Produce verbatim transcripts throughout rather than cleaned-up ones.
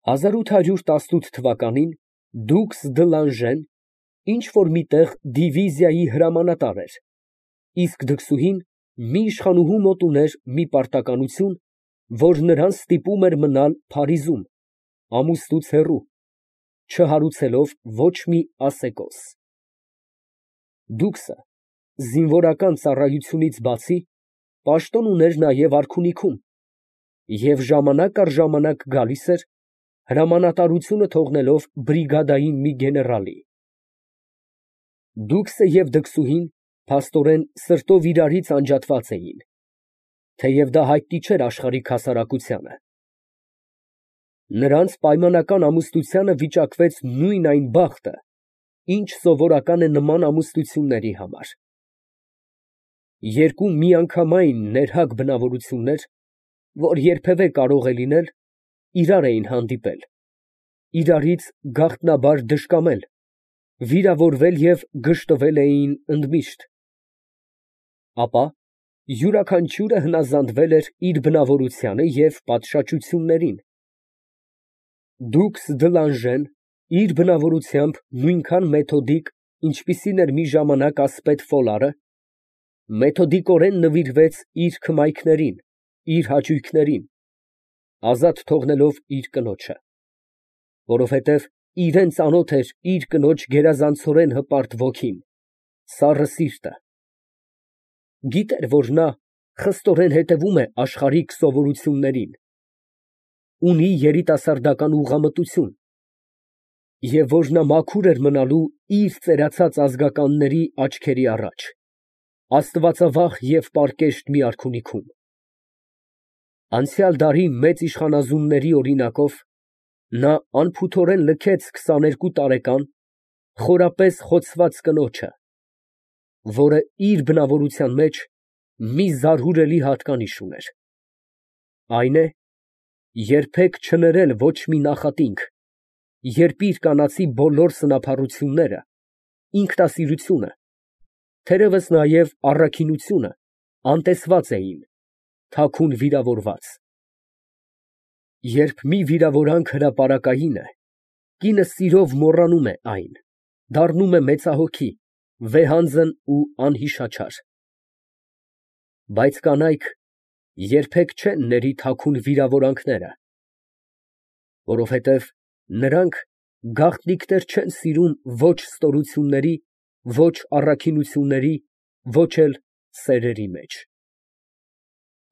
հազար ութ հարյուր տասնութ թվականին դուքս դը Լանժեն ինչ֊որ մի տեղ դիվիզիայի հրամանատար էր, իսկ դքսուհին մի իշխանուհու մոտ ուներ մի պարտականություն, որ նրան ստիպում էր մնալ Փարիզում, ամուսնուց հեռու, չհարուցելով ոչ մի ասեկոս։ Դուքսը զինվորական ծառայությունից բացի պաշտոն ուներ նաև արքունիքում և ժամանակ առ ժամանակ գալիս էր, հրամանատարությունը թողնելով բրիգադային մի գեներալի։ Դուքսը և դքսուհին փաստորեն սրտով իրարից անջատված էին, թեև դա հայտնի չէր աշխարհիկ հասարակությանը։ Նրանց պայմանական ամուսնությանը վիճակվեց նույն այն բախտը, ինչ սովորական է նման ամուսնությունների համար։ Երկու միանգամայն ներհակ բնավորություններ, որ երբևէ կարող է լինել, իրար էին հանդիպել, իրարից գաղտնաբար դժկամել, վիրավորվել և գժտվել էին ընդմիշտ, ապա յուրաքանչյուրը հնազանդվել էր իր բնավորությանը և պատշաճություններին։ Դուքս դը Լանժեն իր բնավորությամբ նույնքան մեթոդիկ, ինչպիսին էր մի ժամանակ ասպետ Ֆոլարը, մեթոդիկորեն նվիրվեց իր քմայքներին, իր հաճույքներին, ազատ թողնելով իր կնոջը, որովհետև իրան ծանոթ էր իր կնոջ գերազանցորեն հպարտ ոգին, սառը սիրտը, գիտեր, որ նա խստորեն հետևում է աշխարհիկ սովորություններին, ունի երիտասարդական ուղղամտություն, և որ նա մաքուր էր մնալու իր ծերացած ազգականների աչքերի առաջ, աստվածավախ և պարկեշտ մի արքունիքում։ Անցյալ դարի մեծ իշխանազունների օրինակով նա անփութորեն լքեց քսաներկու տարեկան, խորապես խոցված կնոջը, որը իր բնավորության մեջ մի զարհուրելի հատկանիշ ուներ, այն է, երբեք չներել ոչ մի նախատինք, երբ իր կանացի բոլոր սնափառությունները, ինքնասիրությունը, թերևս նաև առաքինությունը անտեսված էին, թաքուն վիրավորված։ Երբ մի վիրավորանք հրապարակային է, կինը սիրով մոռանում է այն, դառնում է մեծահոգի, վեհանձն ու անհիշաչար։ Բայց կանայք երբեք չեն ների թաքուն վիրավորանքները, որովհետև նրանք գաղտնիքներ չեն սիրում ոչ ստորությունների, ոչ առաքինությունների, ոչ էլ սերերի մեջ։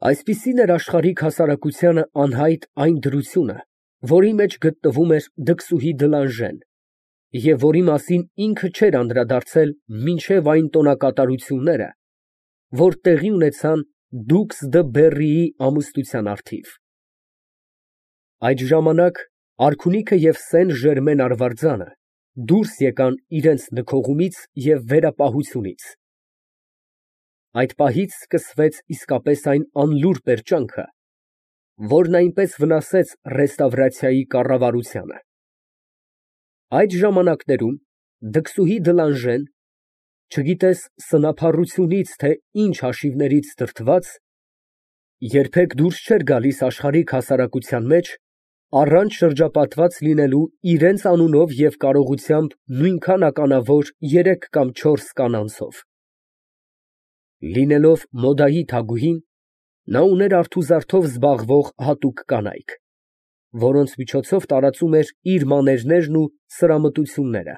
Այսպիսին էր աշխարհիկ հասարակությանը անհայտ այն դրությունը, որի մեջ գտնվում էր դքսուհի դը Լանժեն, և որի մասին ինքը չէր անդրադարձել մինչև այն տոնակատարությունները, որ տեղի ունեցան դուքս դը Բեռիի ամուսնության առթիվ։ Այդ ժամանակ արքունիքը և Սեն Ժերմեն արվարձանը դուրս եկան իրենց նքողումից և վերապահությունից։ Այդ պահից սկսվեց իսկապես այն անլուռ պերճանքը, որն այնպես վնասեց ռեստավրացիայի կառավարությանը։ Այդ ժամանակներում դքսուհի դը Լանժեն, չգիտես սնափառությունից, թե ինչ հաշիվներից դրդված, երբեք դուրս չէր գալիս աշխարհիկ հասարակության մեջ, առանց շրջապատված լինելու իրենց անունով և կարողությամբ նույնքան ականավոր երեք կամ չորս կանանցով։ Լինելով մոդայի թագուհին, նա ուներ արթուզարդով զբաղվող հատուկ կանայք, որոնց միջոցով տարածում էր իր մաներներն ու սրամտությունները։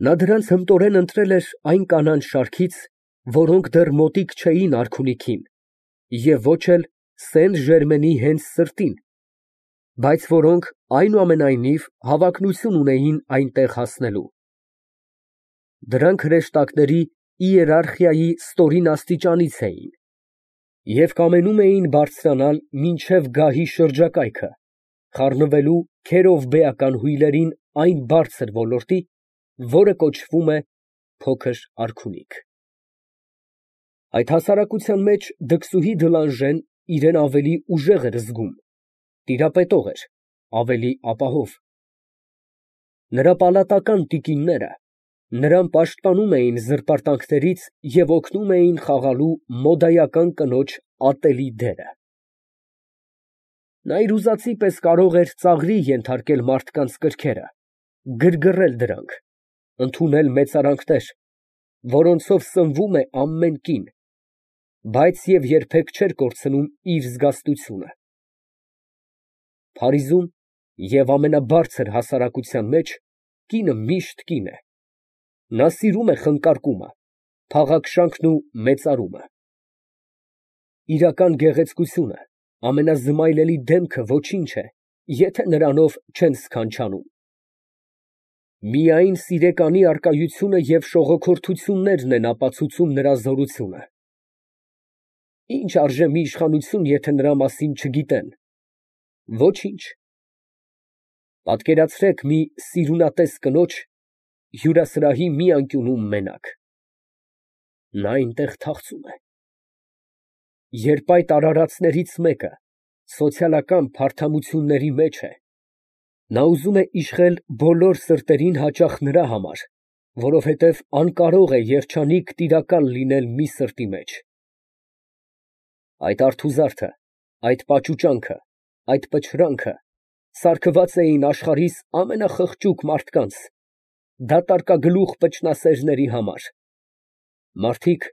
Նա դրանց հմտորեն ընտրել էր այն կանանց շարքից, որոնք դեռ մոտիկ չէին արքունիքին և ոչ էլ Սեն Ժերմենի հենց սրտին, բայց որոնք այնուամենայնիվ հավակնություն ունեին այնտեղ հասնելու։ Դրանք հրեշտակների իերարխիայի ստորին աստիճանից էին և կամենում էին բարձրանալ մինչև գահի շրջակայքը, խառնվելու քերովբեական հույլերին այն բարձր ոլորտի, որը կոչվում է փոքր արքունիք։ Այդ հասարակության մեջ դքսուհի դը Լանժեն իրան ավելի ուժեղ էր զգում, տիրապետող էր, ավելի ապահով։ Նրա պալատական տիկինները նրան պաշտպանում էին զրպարտանքներից և օգնում էին խաղալու մոդայական կնոջ ատելի դերը։ Նա իր ուզածի պես կարող էր ծաղրի ենթարկել մարդկանց կրքերը, գրգռել դրանք, ընդունել մեծարանքներ, որոնցով սնվում է ամեն կին, բայց և երբեք չէր կորցնում իր զգաստությունը։ Փարիզում և ամենաբարձր հասարակության մեջ կինը միշտ կին է. նա սիրում է խնկարկումը, փաղաքշանքն ու մեծարումը։ Իրական գեղեցկությունը, ամենազմայլելի դեմքը ոչինչ է, եթե նրանով չեն սքանչանում։ Միայն սիրեկանի առկայությունը և շողոքորթություններն են ապացուցում նրա զորությունը։ Ի՞նչ արժե մի իշխանություն, եթե նրա մասին չգիտեն։ Ոչինչ։ Պատկերացրեք մի սիրունատես կնոջ հյուրասրահի մի անկյունում մենակ։ Նա այնտեղ թախծում է։ Երբ այդ արարածներից մեկը սոցիալական փարթամությունների մեջ է, նա ուզում է իշխել բոլոր սրտերին հաճախ նրա համար, որովհետև անկարող է երջանիկ տիրակալ լինել մի սրտի մեջ։ Այդ արթուզարդը, այդ պաճուճանքը, այդ պչրանքը սարքված էին աշխարհիս ամենախղճուկ մարդկանց, դատարկագլուխ պճնասերների համար, մարդիկ,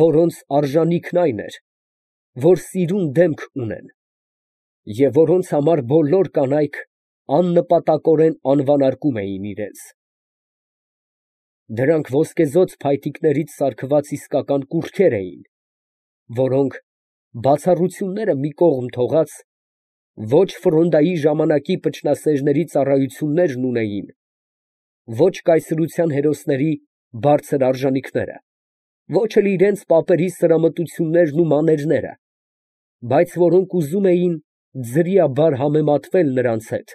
որոնց արժանիքն այն էր, որ սիրուն դեմք ունեն, և որոնց համար բոլոր կանայք աննպատակորեն անվանարկում էին իրենց։ Դրանք ոսկեզօծ փայտիկներից սարքված իսկական կուռքեր էին, որոնք, բացառությունները մի կողմ թողած, ոչ Ֆրոնդայի ժամանակի պճնասերների ծառայություններն ունեին, ոչ կայսրության հերոսների բարձր արժանիքները, ոչ էլ իրենց պապերի սրամտություններն ու մաներները, բայց որոնք ուզում էին ձրիաբար համեմատվել նրանց հետ։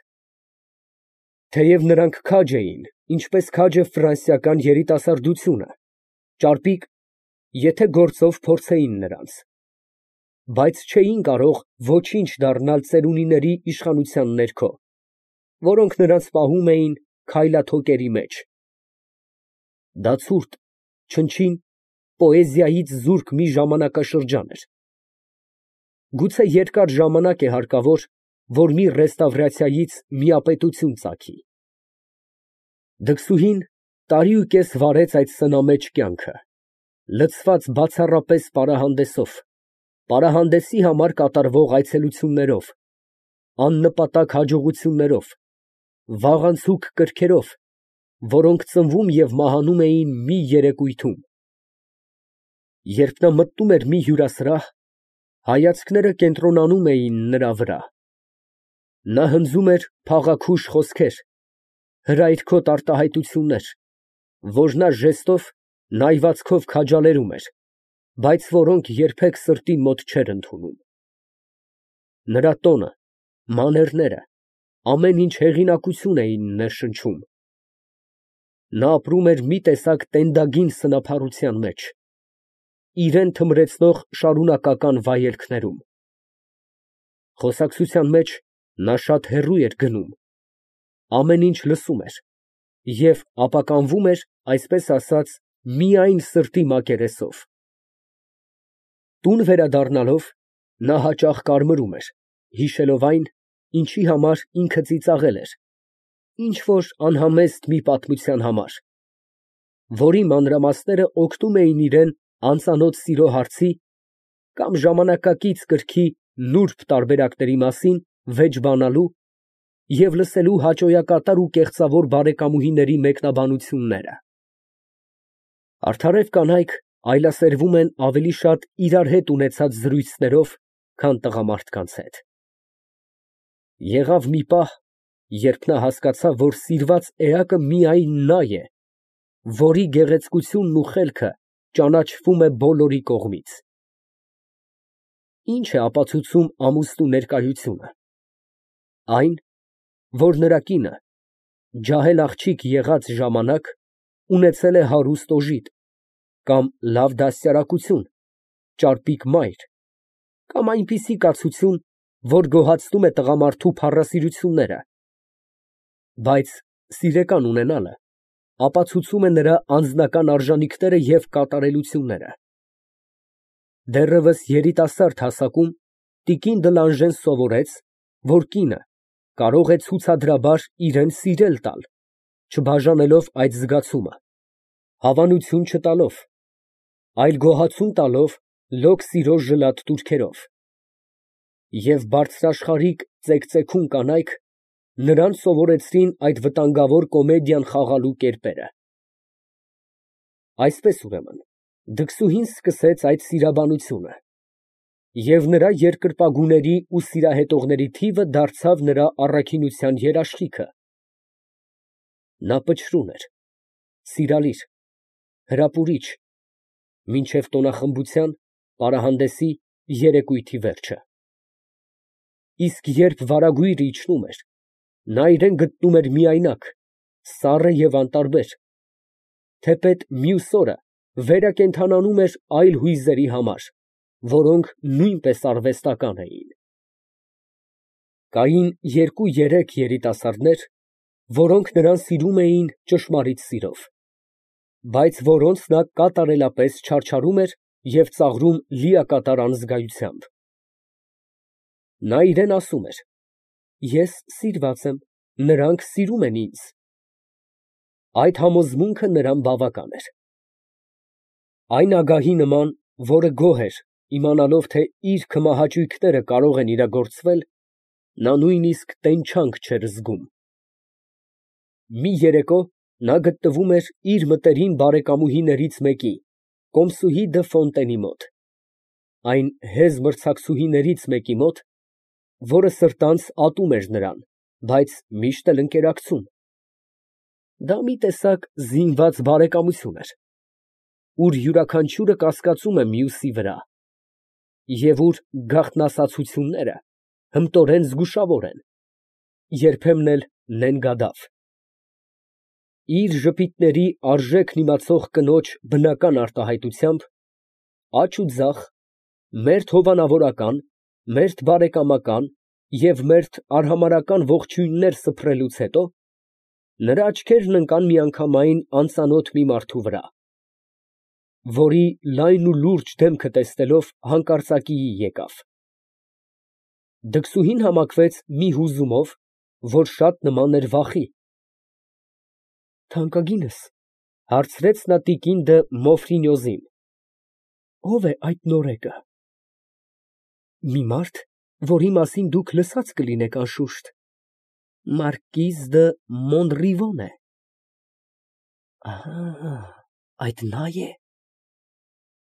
Թեև նրանք քաջ էին, ինչպես քաջ է ֆրանսիական երիտասարդությունը, ճարպիկ, եթե գործով փորձեին նրանց, բայց չէին կարող ոչինչ դառնալ ծերունիների իշխանության ներքո, որոնք նրանց պահում էին քայլաթոկերի մեջ։ Դա ցուրտ, չնչին, պոեզիայից զուրկ մի ժամանակաշրջան էր։ Գուցե երկար ժամանակ է հարկավոր, որ մի ռեստավրացիայից միապետություն ծագի։ Դքսուհին տարի ու կես վարեց այդ սնամեջ կյանքը, լցված բացառապես պարահանդեսով, պարահանդեսի համար կատարվող այցելություններով, աննպատակ հաջողություններով, վաղանցուկ կրքերով, որոնք ծնվում և մահանում էին մի երեկույթում։ Երբ նա մտնում էր մի հյուրասրահ, հայացքները կենտրոնանում էին նրա վրա։ Նա հնձում էր փաղաքուշ խոսքեր, հրայրքոտ արտահայտություններ, որ նա ժեստով, նայվածքով քաջալերում էր, բայց որոնք երբեք սրտի մոտ չէր ընդունում։ Նրա տոնը, մաներները, ամեն ինչ հեղինակություն էին ներշնչում։ Նա ապրում էր մի տեսակ տենդագին սնափառության մեջ, իրան թմրեցնող շարունակական վայելքներում։ Խոսակցության մեջ նա շատ հեռու էր գնում, ամեն ինչ լսում էր և ապականվում էր, այսպես ասած, միայն սրտի մակերեսով։ Տուն վերադառնալով, նա հաճախ կարմրում էր, հիշելով այն, ինչի համար ինքը ծիծաղել էր, ինչ֊որ անհամեստ մի պատմության համար, որի մանրամասները օգնում էին իրան անծանոթ սիրո հարցի կամ ժամանակակից կրքի նուրբ տարբերակների մասին վեճ բանալու և լսելու հաճոյակատար ու կեղծավոր բարեկամուհիների մեկնաբանությունները։ Արդարև կանայք այլասերվում են ավելի շատ իրար հետ ունեցած զրույցներով, քան տղամարդկանց հետ։ Եղավ մի պահ, երբ նա հասկացավ, որ սիրված էակը միայն նա է, որի գեղեցկությունն ու խելքը ճանաչվում է բոլորի կողմից։ Ի՞նչ է ապացուցում ամուսնու ներկայությունը։ Այն, որ նրա կինը, ջահել աղջիկ եղած ժամանակ, ունեցել է հարուստ օժիտ, կամ լավ դաստիարակություն, ճարպիկ մայր, կամ այնպիսի կացություն, որ գոհացնում է տղամարդու փառասիրությունները, բայց սիրեկան ունենալը ապացուցում է նրա անձնական արժանիքները և կատարելությունները։ Դեռևս երիտասարդ հասակում տիկին Դլանժեն սովորեց, որ կինը կարող է ցուցադրաբար իրան սիրել տալ, չբաժանելով այդ զգացումը, հավանություն չտալով, այլ գոհացում տալով լոկ սիրո ժլատ տուրքերով, և բարձրաշխարհիկ ծեքծեքուն կանայք նրան սովորեցրին այդ վտանգավոր կոմեդիան խաղալու կերպերը։ Այսպես, ուրեմն, դքսուհին սկսեց այդ սիրաբանությունը, և նրա երկրպագուների ու սիրահետողների թիվը դարձավ նրա առաքինության երաշխիքը։ Նա պչրուն էր, սիրալիր, հրապուրիչ, մինչև տոնախմբության, պարահանդեսի, երեկույթի վերջը։ Իսկ երբ վարագույրը իջնում էր, նա իրան գտնում էր միայնակ, սառը և անտարբեր, թեպետ մյուս օրը վերակենդանանում էր այլ հույզերի համար, որոնք նույնպես արվեստական էին։ Կային երկու֊երեք երիտասարդներ, որոնք նրան սիրում էին ճշմարիտ սիրով, բայց որոնց նա կատարելապես չարչարում էր և ծաղրում լիակատար անզգայությամբ։ Նա իրան ասում էր. «Ես սիրված եմ, նրանք սիրում են ինձ»։ Այդ համոզմունքը նրան բավական էր։ Այն ագահի նման, որը գոհ էր, իմանալով, թե իր քմահաճույքները կարող են իրագործվել, նա նույնիսկ տենչանք չէր զգում։ Մի երեկո նա գտնվում էր իր մտերիմ բարեկամուհիներից մեկի, Կոմսուհի դը Ֆոնտենի մոտ, այն հեզ մրցակցուհիներից մեկի մոտ, որը սրտանց ատում էր նրան, բայց միշտ էլ ընկերակցում։ Դա մի տեսակ զինված բարեկամություն էր, ուր յուրաքանչյուրը կասկածում է մյուսի վրա, և ուր գաղտնասացությունները հմտորեն զգուշավոր են, երբեմն էլ նենգադավ։ Իր ժպիտների արժեքն իմացող կնոջ բնական արտահայտությամբ, աջ ու ձախ, մերթ հովանավորական, մերթ բարեկամական և մերթ արհամարհական ողջույններ սփռելուց հետո, նրա աչքերն ընկան միանգամայն անծանոթ մի մարդու վրա, որի լայն ու լուրջ դեմքը տեսնելով հանկարծակիի եկավ։ Դքսուհին համակվեց մի հուզումով, որ շատ նման էր վախի։ ֊ Թանկագինս, ֊ հարցրեց նա տիկին դը Մոֆրինյոզին, ֊ ո՞վ է այդ նորեկը։ ֊ Մի մարդ, որի մասին դուք լսած կլինեք, անշուշտ, մարկիզ դը Մոնրիվոն է։ Ահա, այդ նա է։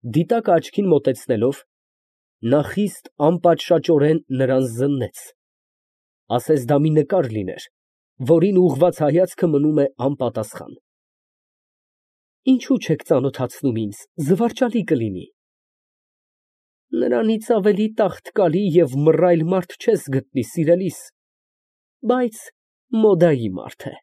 Դիտակը աչքին մոտեցնելով, նա խիստ անպատշաճորեն նրան զննեց, ասես դա մի նկար լիներ, որին ուղղված հայացքը մնում է անպատասխան։ Ինչո՞ւ չեք ծանոթացնում ինձ, զվարճալի կլինի։ Նրանից ավելի տաղտկալի և մռայլ մարդ չես գտնի, սիրելիս, բայց մոդայի մարդ է։